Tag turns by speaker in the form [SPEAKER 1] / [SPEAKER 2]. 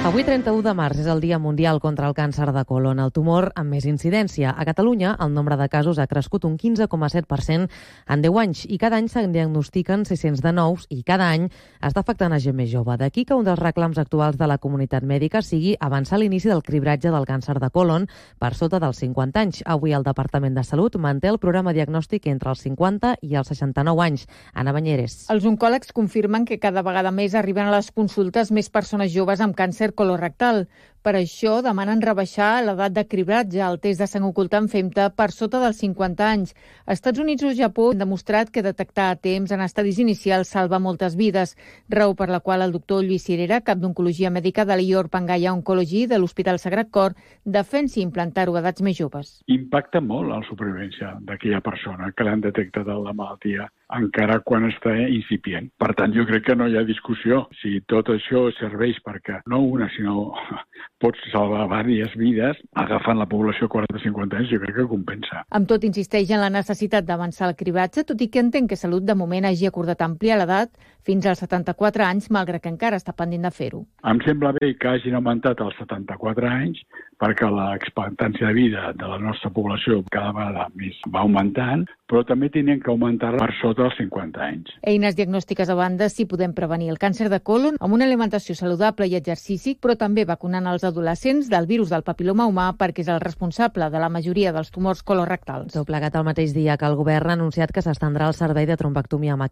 [SPEAKER 1] Avui, 31 de març, és el Dia Mundial contra el Càncer de Colon, el tumor amb més incidència. A Catalunya, el nombre de casos ha crescut un 15,7% en 10 anys i cada any se'n diagnostiquen 600 de nous i cada any està afectant a gent més jove. D'aquí que un dels reclams actuals de la comunitat mèdica sigui avançar l'inici del cribratge del càncer de colon per sota dels 50 anys. Avui el Departament de Salut manté el programa diagnòstic entre els 50 i els 69 anys. Anna Banyeres.
[SPEAKER 2] Els oncòlegs confirmen que cada vegada més arriben a les consultes més persones joves amb càncer colorectal. Per això demanen rebaixar l'edat de cribratge al test de sang ocultant FEMTA per sota dels 50 anys. Estats Units o Japó han demostrat que detectar a temps en estadis inicials salva moltes vides, raó per la qual el doctor Lluís Cirera, cap d'Oncologia Mèdica de l'Ior Pangaya Oncology de l'Hospital Sagrat Cor, defensa implantar-ho a edats més joves.
[SPEAKER 3] Impacta molt la supervivència d'aquella persona que l'han detectat la malaltia, encara quan està incipient. Per tant, jo crec que no hi ha discussió. Si tot això serveix perquè no una, sinó pots salvar diverses vides, agafant la població 40-50 anys, jo crec que compensa.
[SPEAKER 2] Amb tot, insisteix en la necessitat d'avançar el cribratge, tot i que entén que Salut de moment hagi acordat ampliar l'edat fins als 74 anys, malgrat que encara està pendent de fer-ho.
[SPEAKER 3] Em sembla bé que hagin augmentat als 74 anys, perquè l'expectància de vida de la nostra població cada vegada més va augmentant, però també tenen que augmentar per sota dels 50 anys.
[SPEAKER 2] Eines diagnòstiques a banda, sí podem prevenir el càncer de colon amb una alimentació saludable i exercici, però també vacunant els adolescents del virus del papiloma humà perquè és el responsable de la majoria dels tumors colorectals.
[SPEAKER 1] Tot plegat el mateix dia que el govern ha anunciat que s'estendrà el servei de trombectomia mecànica